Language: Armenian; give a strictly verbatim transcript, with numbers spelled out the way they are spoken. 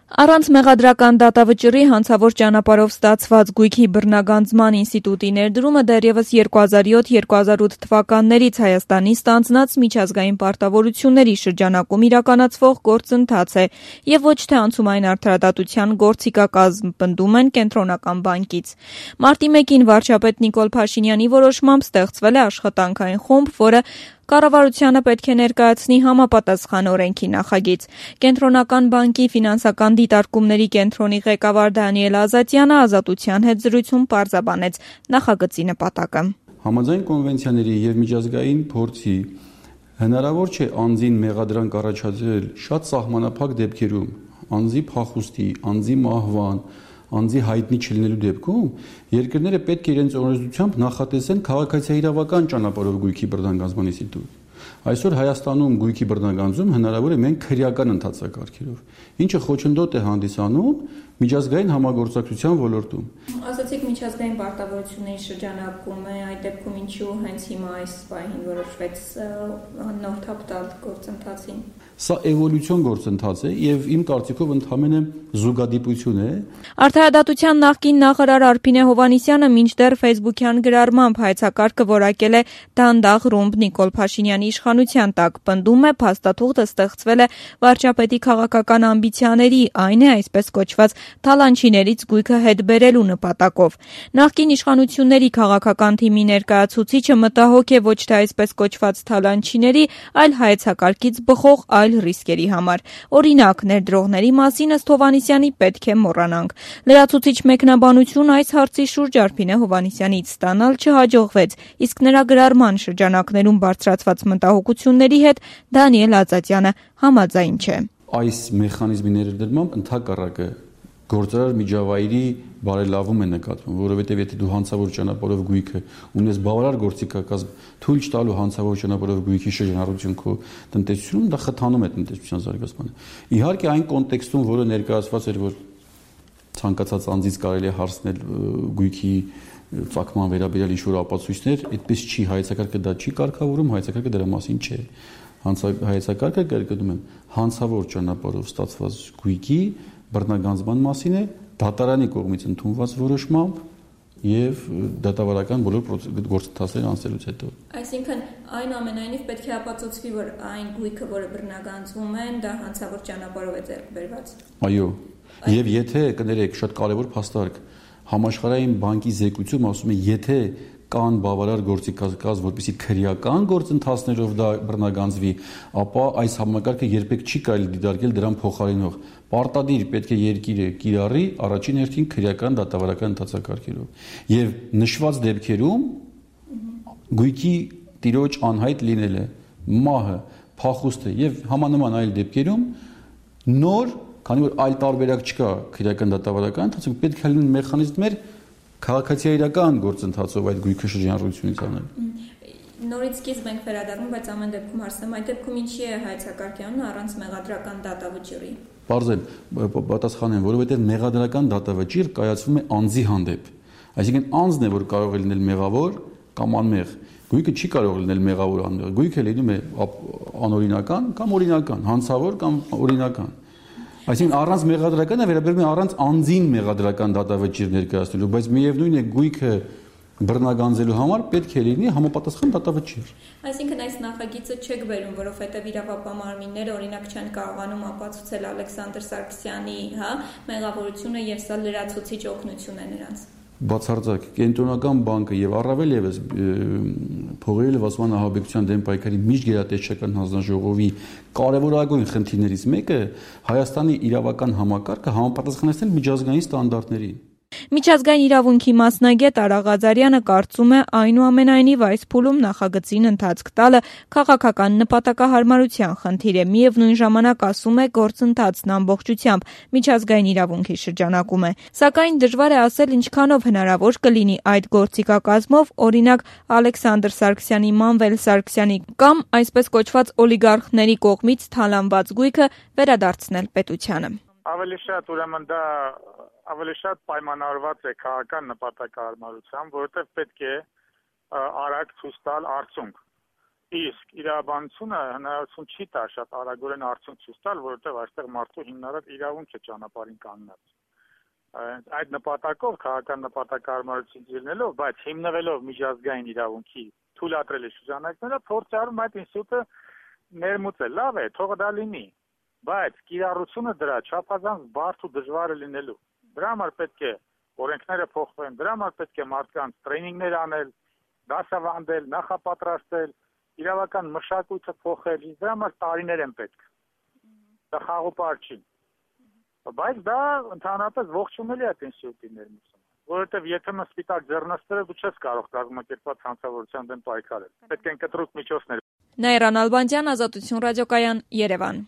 Առանց մեղադրական դատավճռի հանցավոր ճանապարհով ստացված գույքի բռնագանձման ինստիտուտի ներդրումը դեռևս երկու հազար յոթ երկու հազար ութ թվականներից Հայաստանի ստանձնած միջազգային պարտավորությունների շրջանակում իրականացվող գործընթաց է եւ ոչ թե անցումային արդարադատության գործիքակազմ, պնդում են Կենտրոնական բանկից։ Մարտի մեկին վարչապետ Նիկոլ Փաշինյանի որոշմամբ ստեղծվել է աշխատանքային խումբ, որը Կառավարությանը պետք է ներկայացնի համապատասխան օրենքի նախագիծ։ Կենտրոնական բանկի ֆինանսական դիտարկումների կենտրոնի ղեկավար Դանիել Ազատյանը Ազատության հետ զրույցում պարզաբանեց նախագծի նպատակը։ Համաձայն կոնվենցիաների եւ միջազգային փորձի հնարավոր չէ անձին մեղադրանք առաջադրել շատ սահմանափակ դեպքերում, անձի փախուստի, անձի մահվան, անձի հայտնի չլինելու դեպքում երկրները պետք է իրենց օրենսդրությամբ նախատեսեն քաղաքացիահիրավական ճանապարհով գույքի բռնագանձման ինստիտուտ։ Այսօր Հայաստանում գույքի բռնագանձում հնարավոր է միայն քրեական ընթացակարգերով, ինչը խոչընդոտ է հանդիսանում միջազգային համագործակցության ոլորտում։ Ասացիք միջազգային պարտավորությունների շրջանակում է, այդ դեպքում ինչու հենց հիմա այս պահին որոշվեց նոր թափ տալ գործընթացին։ Սա էվոլյուցիոն գործընթաց է եւ իմ կարծիքով ընդհանրապես զուգադիպություն է։ Արդարադատության նախկին նախարար Արփինե Հովհաննիսյանը մինչդեռ ֆեյսբուքյան գրառմամբ հայեցակարգը որակել է դանդաղ ռումբ Նիկոլ Փաշինյանի իշխանության տակ, պնդում է փաստաթուղթը ստեղծվել է վարչապետի քաղաքական ամբիցիաների, այն է այսպես կոչված թալանչիներից գույքը հետ բերելու նպատակով։ Նախկին իշխանությունների քաղաքական թիմի ներկայացուցիչը մտահոգ է ոչ թե այսպես կոչված թալանչիների, այլ հայեցակարգից բխող այլ ռիսկերի համար։ Օրինակ, ներդրողների մասին ըստ Հովհաննիսյանի պետք է մոռանանք։ Լրացուցիչ մեկնաբանություն այս հարցի շուրջ Արփինե Հովհաննիսյանից ստանալ չհաջողվեց, իսկ նրա գրառման շրջանակներում բարձրացված մտահոգությունների հետ Դանիել Ազատյանը համաձայն չէ։ Այս մեխանիզմի ներդրմամբ ընդհակառակը գործարար միջավայրի բարելավում է նկատվում, որովհետև եթե դու հանցավոր ճանապարհով գույքը ունես բավարար գործիքակազմ, թույլ չտալու հանցավոր ճանապարհով գույքի շրջանառություն քո տնտեսությունում, դա խթանում է տնտեսության զարգացմանը։ Իհարկե այն կոնտեքստում, որը ներկայացված էր, որ ցանկացած անձից կարելի է հարցնել գույքի ծագման վերաբերյալ ինչ-որ ապացույցներ, այդպես չի, հայեցակարգը դա չի կարգավորում, հայեցակարգը դրա մասին չէ։ Հայեցակարգը, կրկնում եմ, հանցավոր ճանապարհով ստացված գույքի բռնագանձման մասին է դատարանի կողմից ընդունված որոշմամբ եւ դատավարական բոլոր գործընթացները անցնելուց հետո։ Այսինքն այնուամենայնիվ պետք է ապացուցվի, որ այն գույքը, որը բռնագանձվում են, դա հանցավոր ճանապարհով է ձեռք բերված։ Այո։ Եվ եթե կներեք, շատ կարևոր փաստարկ, համաշխարհային բանկի զեկույցում ասում է, եթե կան բավարար գործիքակազմ, որպեսզի քրեական գործընթացներով դա բռնագանձվի, ապա այս համակարգը երբեք չի կարելի դիտարկել դրան փոխարինող։ Պարտադիր պետք է երկիրը կիրառի առաջին հերթին քրեական դատավարական ընթացակարգերով։ Եվ նշված դեպքերում գույքի տիրոջ անհայտ լինելը, մահը, փախուստը եւ համանման այլ դեպքերում նոր, քանի որ այլ տարբերակ չկա քրեական դատավարական ընթացքում, պետք է լինեն մեխանիզմներ քաղաքացիական գործընթացով այդ գույքը շրջանառությունից անել։ Նորից սկիզբ ենք վերադառնում, բայց ամեն դեպքում հարցնեմ, այդ դեպքում ինչի է հայեցակարգյանը առանց մեղադրական դատավճռի։ Պարզել, պատասխանեմ, որովհետև մեղադրական դատավճիռ կայացվում է անձի հանդեպ։ Այսինքն անձն է, որ կարող է լինել մեղավոր կամ անմեղ։ Գույքը չի կարող լինել մեղավոր անմեղ։ Գույքը լինում է անօրինական կամ օրինական, հանցավոր կամ օրինական։ Այսինքն առանց մեղադրականը վերաբերում է առանց անձին մեղադրական դատավճիռ ներկայացնելու, բայց միևնույն է գույքը բռնագանձելու համար պետք է լինի համապատասխան դատավճիռ։ Այսինքն այս նախագիծը չեք բերում, որովհետև իրավապահ մարմինները օրինակ չեն կարողանում ապացուցել Ալեքսանդր Սարգսյանի, հա, մեղավորությունը եւ սա լրացուցիչ օգնություն է նրանց։ Բացարձակ Կենտրոնական բանկը եւ առավել եւս փողերի լվացման ահաբեկչության դեմ պայքարի միջգերատեսչական հանձնաժողովի կարևորագույն խնդիրներից մեկը Հայաստանի իրավական համակարգը համապատասխանեցնել միջազգային ստանդարտներին։ Միջազգային իրավունքի մասնագետ Արա Ղազարյանը կարծում է այնուամենայնիվ այս փուլում նախագծին ընթացք տալը քաղաքական նպատակահարմարության խնդիր է, միևնույն ժամանակ ասում է գործընթացն ամբողջությամբ միջազգային իրավունքի շրջանակում է, սակայն դժվար է ասել ինչքանով հնարավոր կլինի այդ գործիքակազմով, օրինակ Ալեքսանդր Սարգսյանի, Մանվել Սարգսյանի կամ այսպես կոչված օլիգարխների կողմից թալանված գույքը վերադարձնել պետությանը։ Ավելի շատ ուրեմն դա ավելի շատ պայմանավորված է քաղաքական նպատակահարմարությամբ, որովհետև պետք է արագ ցույց տալ արդյունք։ Իսկ իրավաբանությունը հնարավորություն չի տա շատ արագորեն արդյունք ցույց տալ, որովհետև այստեղ մարդու հիմնարար իրավունք է ճանապարհին կանգնած։ Այդ նպատակով քաղաքական նպատակարարություն դիրնելով, բայց հիմնվելով միջազգային իրավունքի թույլատրելի շրջանակները փորձարում այդ ինստիտուտը ներմուծել։ Լավ է, թող դա լինի, բայց կիրառությունը դրա չափազանց բարդ ու դժվար է լինելու։ Դրա համար պետք է օրենքները փոխվեն, դրա համար պետք է մարդկանց տրեյնինգներ անել, դասավանդել, նախապատրաստել, իրավական մշակույթը փոխել, դրա համար տարիներ են պետք։ Դա խաղապար չի։ Բայց դա ընդհանրապես ողջունելի է այդ ինստիտուտի ներմուծումը, որովհետև եթե մը սպիտակ ձեռնստերը դու չես կարող կազմակերպված հանցավորության դեմ պայքարել։ Պետք են կտրուկ միջոցներ։ Նաիրան Ալբանդյան, Ազատություն ռադիոկայան, Երևան։